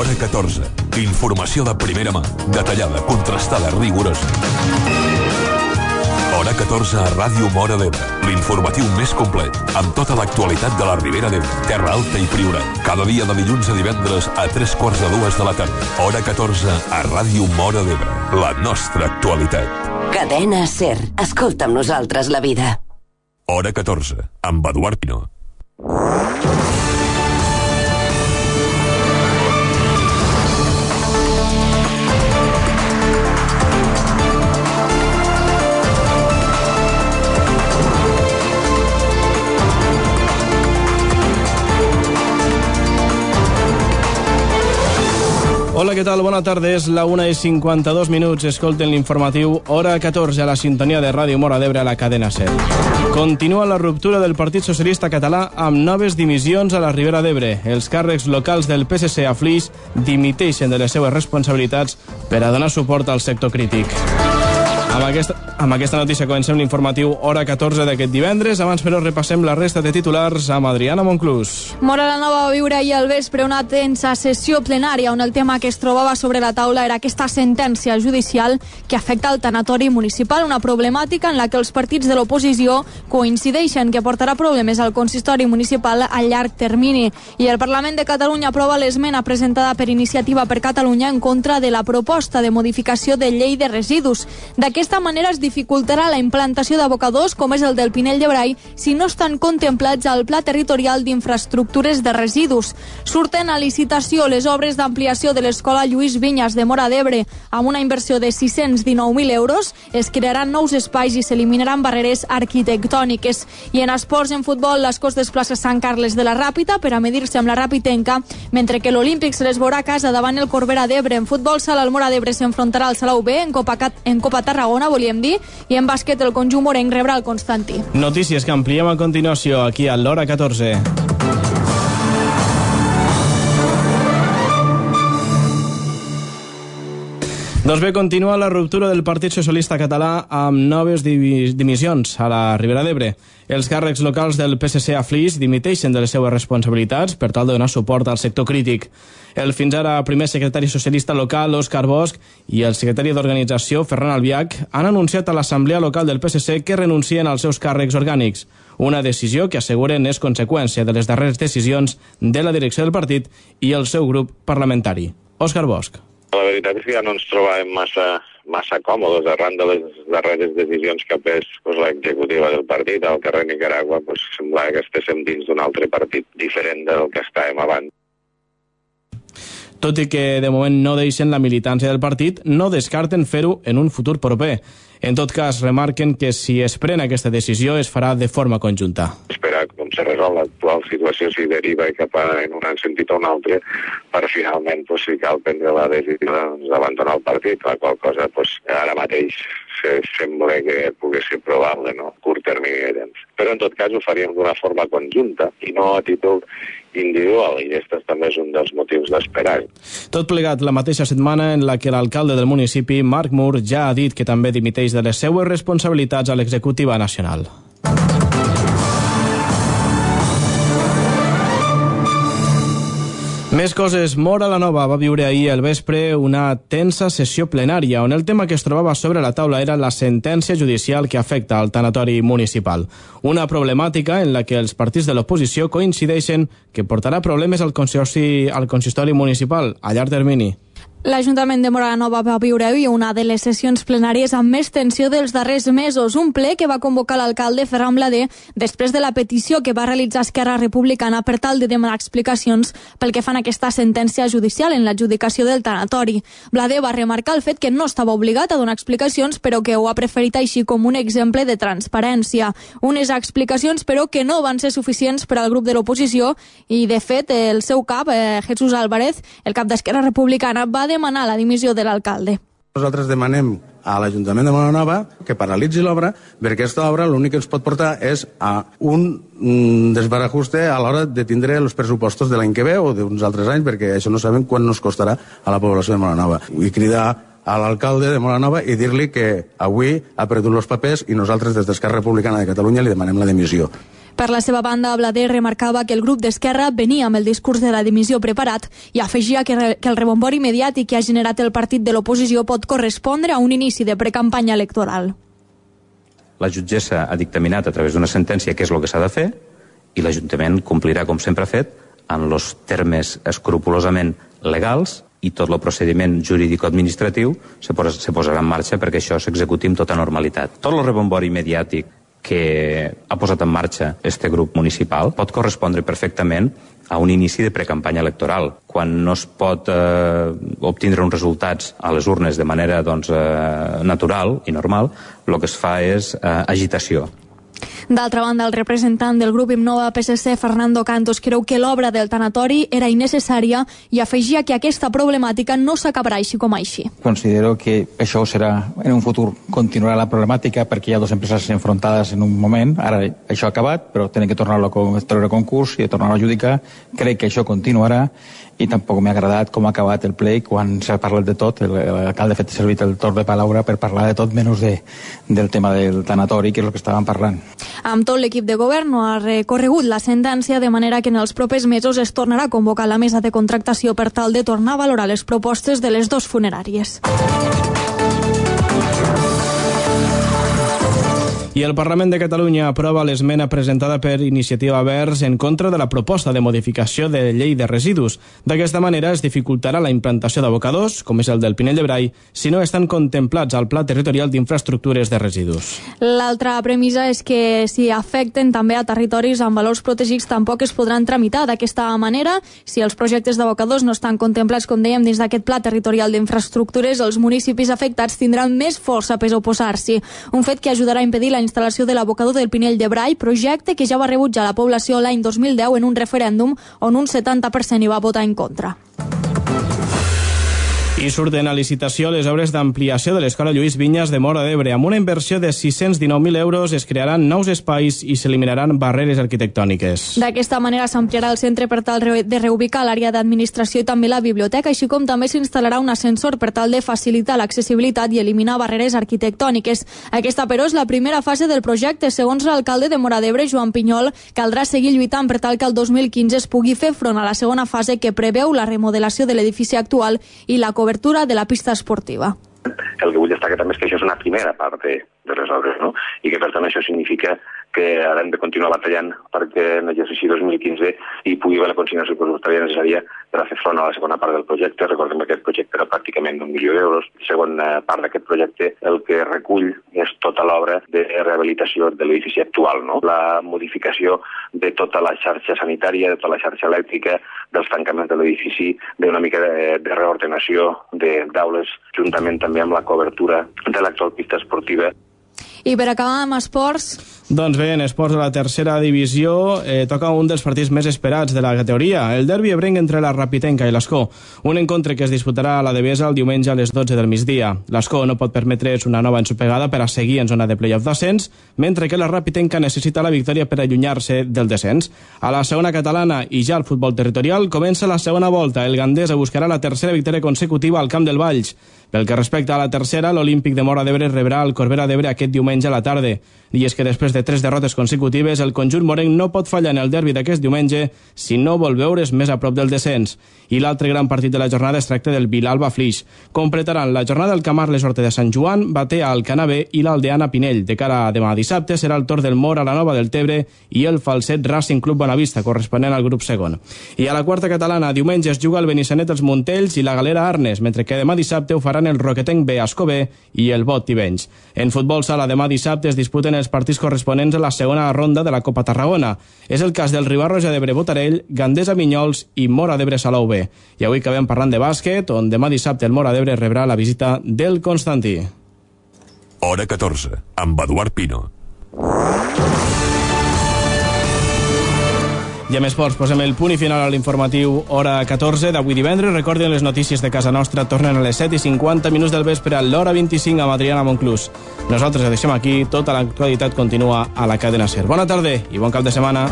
Hora 14. Informació de primera mà, detallada, contrastada, rigorosa. Hora 14 a Ràdio Móra d'Ebre. L'informatiu més complet, amb tota l'actualitat de la Ribera d'Ebre, Terra Alta i Priorat. Cada dia de dilluns a divendres a 3:45 de la tarda. Hora 14 a Ràdio Móra d'Ebre. La nostra actualitat. Cadena SER. Escolta amb nosaltres la vida. Hora 14, amb Eduard Pino. Hola, què tal? Bona tarda. És la 1:52. Escolten l'informatiu Hora 14 a la sintonia de Ràdio Móra d'Ebre a la cadena SER. Continua la ruptura del Partit Socialista Català amb noves dimissions a la Ribera d'Ebre. Els càrrecs locals del PSC a Flix dimiteixen de les seues responsabilitats per a donar suport al sector crític. Amb aquesta notícia comencem l'informatiu Hora 14 d'aquest divendres. Abans, però, repassem la resta de titulars amb Adriana Monclús. Móra la Nova va viure ahir al vespre una tensa sessió plenària on el tema que es trobava sobre la taula era aquesta sentència judicial que afecta el tanatori municipal, una problemàtica en la que els partits de l'oposició coincideixen que portarà problemes al consistori municipal a llarg termini. I el Parlament de Catalunya aprova l'esmena presentada per Iniciativa per Catalunya en contra de la proposta de modificació de llei de residus. D'aquesta manera es dificultarà la implantació d'abocadors com és el del Pinell de Brai si no estan contemplats al Pla Territorial d'Infraestructures de Residus. Surten a licitació les obres d'ampliació de l'Escola Lluís Vinyes de Móra d'Ebre amb una inversió de 619.000 euros. Es crearan nous espais i s'eliminaran barreres arquitectòniques. I en esports, en futbol, l'Escós desplaça Sant Carles de la Ràpita per a medir-se amb la Ràpitenca, mentre que l'Olímpic se les veurà a casa davant el Corbera d'Ebre. En futbol sala, el Móra d'Ebre s'enfrontarà al Salau B en Copa Tarragona, volíem dir, i en bàsquet el conjunt morenc rebrà el Constantí. Notícies que ampliem a continuació aquí a l'Hora 14. Doncs bé, continua la ruptura del Partit Socialista Català amb noves dimissions a la Ribera d'Ebre. Els càrrecs locals del PSC a Flix dimiteixen de les seues responsabilitats per tal de donar suport al sector crític. El fins ara primer secretari socialista local, Òscar Bosch, i el secretari d'organització, Ferran Albiach, han anunciat a l'Assemblea Local del PSC que renuncien als seus càrrecs orgànics. Una decisió que asseguren és conseqüència de les darreres decisions de la direcció del partit i el seu grup parlamentari. Òscar Bosch. La veritat és que ja no ens trobàvem massa còmodes arran de les darreres decisions que ha pres l'executiva del partit al carrer Nicaragua. Semblava que estéssim dins d'un altre partit diferent del que estàvem abans. Tot i que de moment no deixen la militància del partit, no descarten fer-ho en un futur proper. En tot cas, remarquen que si es pren aquesta decisió es farà de forma conjunta. Esperar com se resol l'actual situació, si deriva cap en un sentit o un altre, per finalment, si cal prendre la decisió d'abandonar el partit, la qual cosa ara mateix sembla que pugui ser probable, no? Curt termini de temps. Però en tot cas ho faríem d'una forma conjunta i no a títol individual, i aquest també és un dels motius d'esperar. Tot plegat la mateixa setmana en la que l'alcalde del municipi, Marc Mur, ja ha dit que també dimiteix de les seues responsabilitats a l'executiva nacional. Més coses. Móra la Nova va viure ahir al vespre una tensa sessió plenària on el tema que es trobava sobre la taula era la sentència judicial que afecta al tanatori municipal. Una problemàtica en la que els partits de l'oposició coincideixen que portarà problemes al consistori municipal a llarg termini. L'Ajuntament de Móra la Nova va viure avui una de les sessions plenàries amb més tensió dels darrers mesos. Un ple que va convocar l'alcalde Ferran Blader després de la petició que va realitzar Esquerra Republicana per tal de demanar explicacions pel que fan aquesta sentència judicial en l'adjudicació del tanatori. Blader va remarcar el fet que no estava obligat a donar explicacions, però que ho ha preferit així com un exemple de transparència. Unes explicacions, però, que no van ser suficients per al grup de l'oposició i, de fet, el seu cap, Jesús Álvarez, el cap d'Esquerra Republicana, va demanar la dimissió de l'alcalde. Nosaltres demanem a l'Ajuntament de Móra la Nova que paralitzi l'obra, perquè aquesta obra l'únic que ens pot portar és a un desbarajuste a l'hora de tindre els pressupostos de l'any que ve o d'uns altres anys, perquè això no sabem quan nos costarà a la població de Móra la Nova. Vull cridar a l'alcalde de Móra la Nova i dir-li que avui ha perdut els papers i nosaltres des d'Esquerra Republicana de Catalunya li demanem la dimissió. Per la seva banda, Blader remarcava que el grup d'Esquerra venia amb el discurs de la dimissió preparat i afegia que el rebombori mediàtic que ha generat el partit de l'oposició pot correspondre a un inici de precampanya electoral. La jutgessa ha dictaminat a través d'una sentència què és el que s'ha de fer i l'Ajuntament complirà, com sempre ha fet, en els termes escrupolosament legals, i tot el procediment jurídico-administratiu se posarà en marxa perquè això s'executi amb tota normalitat. Tot el rebombori mediàtic que ha posat en marxa este grup municipal pot correspondre perfectament a un inici de precampanya electoral. Quan no es pot obtindre uns resultats a les urnes de manera natural i normal, el que es fa és agitació. D'altra banda, el representant del grup Innova PSC, Fernando Cantos, creu que l'obra del tanatori era innecessària i afegia que aquesta problemàtica no s'acabarà així com així. Considero que això serà, en un futur, continuarà la problemàtica perquè hi ha dues empreses enfrontades en un moment. Ara això ha acabat, però tenen que tornar-lo a treure a concurs i a tornar-lo a adjudicar. Crec que això continuarà i tampoc m'ha agradat com ha acabat el ple quan s'ha parlat de tot. L'alcalde ha fet servir el torn de paraula per parlar de tot menys del tema del tanatori, que és el que estàvem parlant. Amb tot, l'equip de govern no ha recorregut la sentència, de manera que en els propers mesos es tornarà a convocar la mesa de contractació per tal de tornar a valorar les propostes de les dues funeràries. I el Parlament de Catalunya aprova l'esmena presentada per Iniciativa Verds en contra de la proposta de modificació de llei de residus. D'aquesta manera es dificultarà la implantació d'abocadors, com és el del Pinell de Brai, si no estan contemplats al Pla Territorial d'Infraestructures de Residus. L'altra premissa és que si afecten també a territoris amb valors protegits tampoc es podran tramitar. D'aquesta manera, si els projectes d'abocadors no estan contemplats, com dèiem, dins d'aquest Pla Territorial d'Infraestructures, els municipis afectats tindran més força per oposar-s'hi. Un fet que ajudarà a impedir la instal·lació de l'abocador del Pinell de Brai, projecte que ja va rebutjar la població l'any 2010 en un referèndum on un 70% hi va votar en contra. I surten a licitació les obres d'ampliació de l'Escola Lluís Vinyes de Móra d'Ebre. Amb una inversió de 619.000 euros es crearan nous espais i s'eliminaran barreres arquitectòniques. D'aquesta manera s'ampliarà el centre per tal de reubicar l'àrea d'administració i també la biblioteca, així com també s'instal·larà un ascensor per tal de facilitar l'accessibilitat i eliminar barreres arquitectòniques. Aquesta, però, és la primera fase del projecte. Segons l'alcalde de Móra d'Ebre, Joan Pinyol, caldrà seguir lluitant per tal que el 2015 es pugui fer front a la segona fase que preveu la remodelació de l'edifici actual i la cobertura de la pista esportiva. El que vull destacar també és que això és una primera part de les obres, no? I que per tant això significa que ara hem de continuar batallant perquè en l'exercici 2015 hi pugui haver la consignació pressupostària necessària per a fer front a la segona part del projecte. Recordem que aquest projecte era pràcticament d'1 milió d'euros. La segona part d'aquest projecte el que recull és tota l'obra de rehabilitació de l'edifici actual, no? La modificació de tota la xarxa sanitària, de tota la xarxa elèctrica, dels tancaments de l'edifici, d'una mica de reordenació d'aules, juntament també amb la cobertura de l'actual pista esportiva. I per acabar amb esports... Doncs bé, en esports de la tercera divisió toca un dels partits més esperats de la categoria, el derbi ebrenc entre la Rapitenca i l'Escó. Un encontre que es disputarà a la Devesa el diumenge a les 12 del migdia. L'Escó no pot permetre's una nova ensopegada per a seguir en zona de play-off d'ascens, mentre que la Rapitenca necessita la victòria per allunyar-se del descens. A la segona catalana i ja al futbol territorial comença la segona volta. El Gandesa buscarà la tercera victòria consecutiva al Camp del Valls. Pel que respecta a la tercera, l'Olímpic de Móra d'Ebre rebrà el Corbera d'Ebre aquest diumenge a la tarda. I és que després de 3 derrotes consecutives, el conjunt morenc no pot fallar en el derbi d'aquest diumenge si no vol veure's més a prop del descens. I l'altre gran partit de la jornada es tracta del Vilalba Flix. Completaran la jornada el Camarles Horta de Sant Joan, Batea Alcanabé i l'Aldeana Pinell. De cara a demà dissabte serà el torn del Mor a la Nova del Tebre i el Falset Racing Club Bonavista, corresponent al grup segon. I a la quarta catalana, diumenge es juga el Benissanet els Montells i la Galera Arnes, mentre que demà dissabte ho faran el Roquetenc B Escobé i el Bot Tivenys. En futbol sala demà dissabte es disputen els partits corresponents a la segona ronda de la Copa Tarragona. És el cas del Ribarroja d'Ebre Botarell, Gandesa Vinyols i Móra d'Ebre Salou B. I avui acabem parlant de bàsquet, on demà dissabte el Móra d'Ebre rebrà la visita del Constantí. Hora 14, amb Eduard Pino. I amb esports posem el punt i final a l'informatiu hora 14 d'avui divendres. Recordin, les notícies de casa nostra tornen a les 7:50 del vespre a l'hora 25 amb Adriana Monclús. Nosaltres ho deixem aquí, tota l'actualitat continua a la cadena SER. Bona tarda i bon cap de setmana.